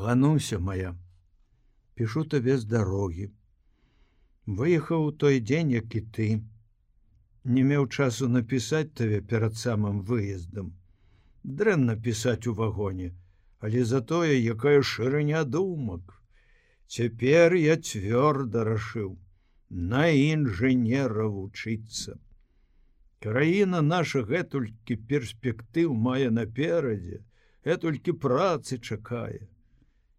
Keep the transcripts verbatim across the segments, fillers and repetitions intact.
Гануся моя, пішу табе з дарогі. Выехаў у той дзень, як і ты. Не меў часу напісаць табе перад самым выездам. Дрэнна пісаць у вагоне, але затое якая шырыня думак. Цяпер я цвёрда рашыў на інжынера вучыцца. Краіна наша гэтулькі перспектыў мае наперадзе, гэтулькі працы чакае.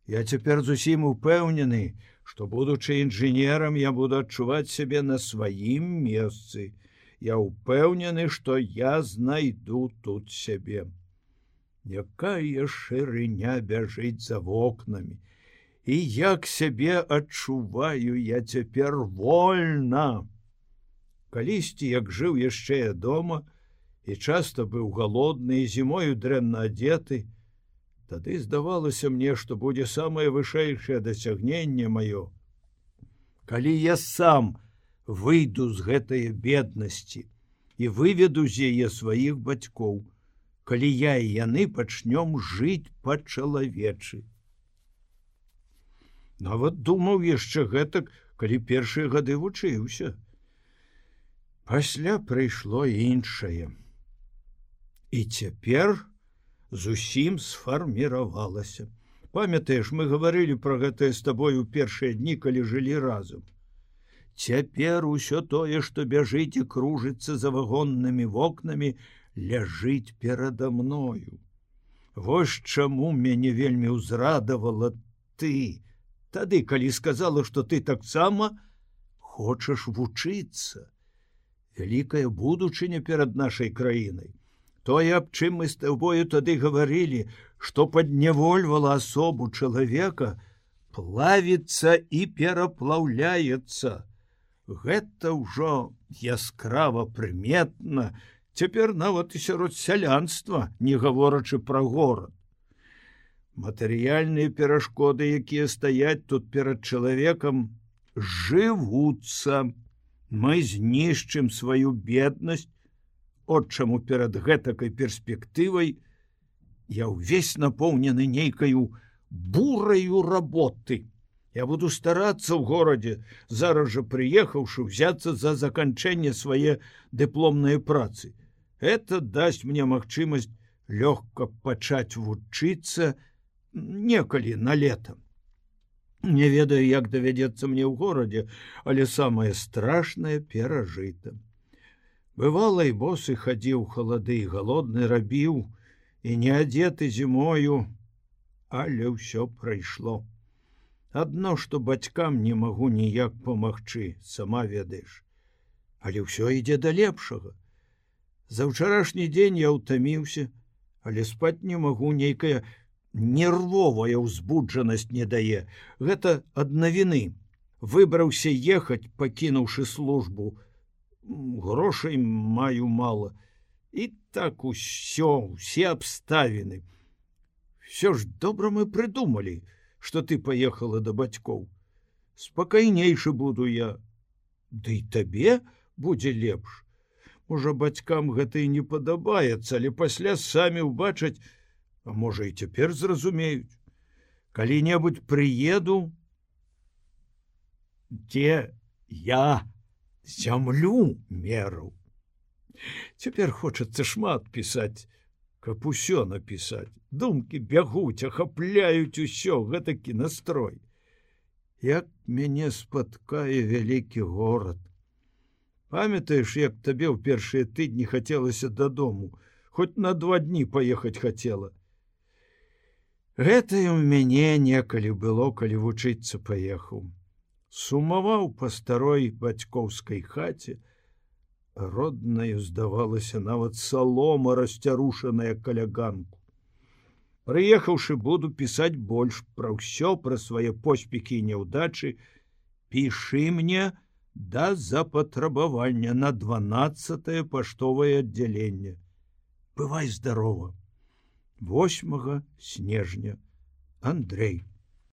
Я цяпер зусім упэўнены, што, будучы інжынерам, я буду адчуваць сябе на сваім месцы. Я упэўнены, што я знайду тут сябе. Якая шырыня бяжыць за вокнамі. І як сябе адчуваю я цяпер вольна. Калісьці, як жыў яшчэ я дома, і часта быў галодны, і зімою дрэнна адзеты, тады здавалася мне, што будзе самае вышэйшае дасягненне маё. Калі я сам выйду з гэтае беднасці і выведу з яе сваіх бацькоў, калі я і яны пачнём жыць па-чалавечы. Нават думаў яшчэ гэтак, калі першыя гады вучыўся. Пасля прыйшло іншае. І цяпер зусім сфарміравалася. Памятаеш, мы гаварылі пра гэтае з табой у першыя дні, калі жылі разам. Цяпер усё тое, што бяжыць і кружыцца за вагоннымі вокнамі, ляжыць перада мною. Вось чаму мяне вельмі ўзрадавала ты, тады, калі сказала, што ты таксама хочаш вучыцца. Вялікая будучыня перад нашай краінай. Тое, аб чым мы з табою тады гаварылі, што паднявольвала асобу чалавека, плавіцца і пераплаўляецца. Гэта ўжо яскрава прыметна, цяпер нават і сярод сялянства, не гаворачы пра горад. Матэрыяльныя перашкоды, якія стаяць тут перад чалавекам, жывуцца. Мы знішчым сваю беднасць, от чаму перад гэтакай перспектывай я ўвесь напоўнены нейкаю бураю работы. Я буду старацца ў горадзе, зараз жа прыехаўшы, взяцца за заканчэнне свае дыпломныя працы. Это дасць мне магчымасць лёгка пачаць вучыцца некалі на лета. Не ведаю, як давядзецца мне ў горадзе, але самае страшнае перажыта. Бывала, і босы хадзіў халады, і галодны рабіў, і не адзеты зімою, але ўсё прайшло. Адно, што бацькам не магу ніяк памагчы, сама ведаеш. Але ўсё ідзе да лепшага. За ўчарашні дзень я ўтаміўся, але спаць не магу, нейкая нервовая ўзбуджанасць не дае. Гэта ад навіны. Выбраўся ехаць, пакінуўшы службу. Грошай маю мала. І так усё, усе абставіны. Всё ж добра мы прыдумалі, што ты паехала да бацькоў. Спакайнейшы буду я. Ды і табе будзе лепш. Можа, бацькам гэта і не падабаецца, але пасля самі ўбачаць, а можа, і цяпер зразумеюць. Калі-небудзь прыеду, дзе я зямлю мераў. Цяпер хочацца шмат пісаць, каб усё напісаць. Думкі бягуць, ахапляюць усё, гэтакі настрой. Як мяне спаткае вялікі горад. Памятаеш, як табе ў першыя тыдні хацелася дадому, хоць на два дні паехаць хацела. Гэта і ў мяне некалі было, калі вучыцца паехаў. Сумаваў па старой бацькоўскай хаце, роднаю здавалася нават салома, расцярушаная каля ганку. Прыехаўшы, буду пісаць больш пра ўсё, пра свае поспехі і няўдачы. Пішы мне да запатрабавання на дванаццатае паштовае аддзяленне. Бывай здарова. восьмага снежня. Андрей.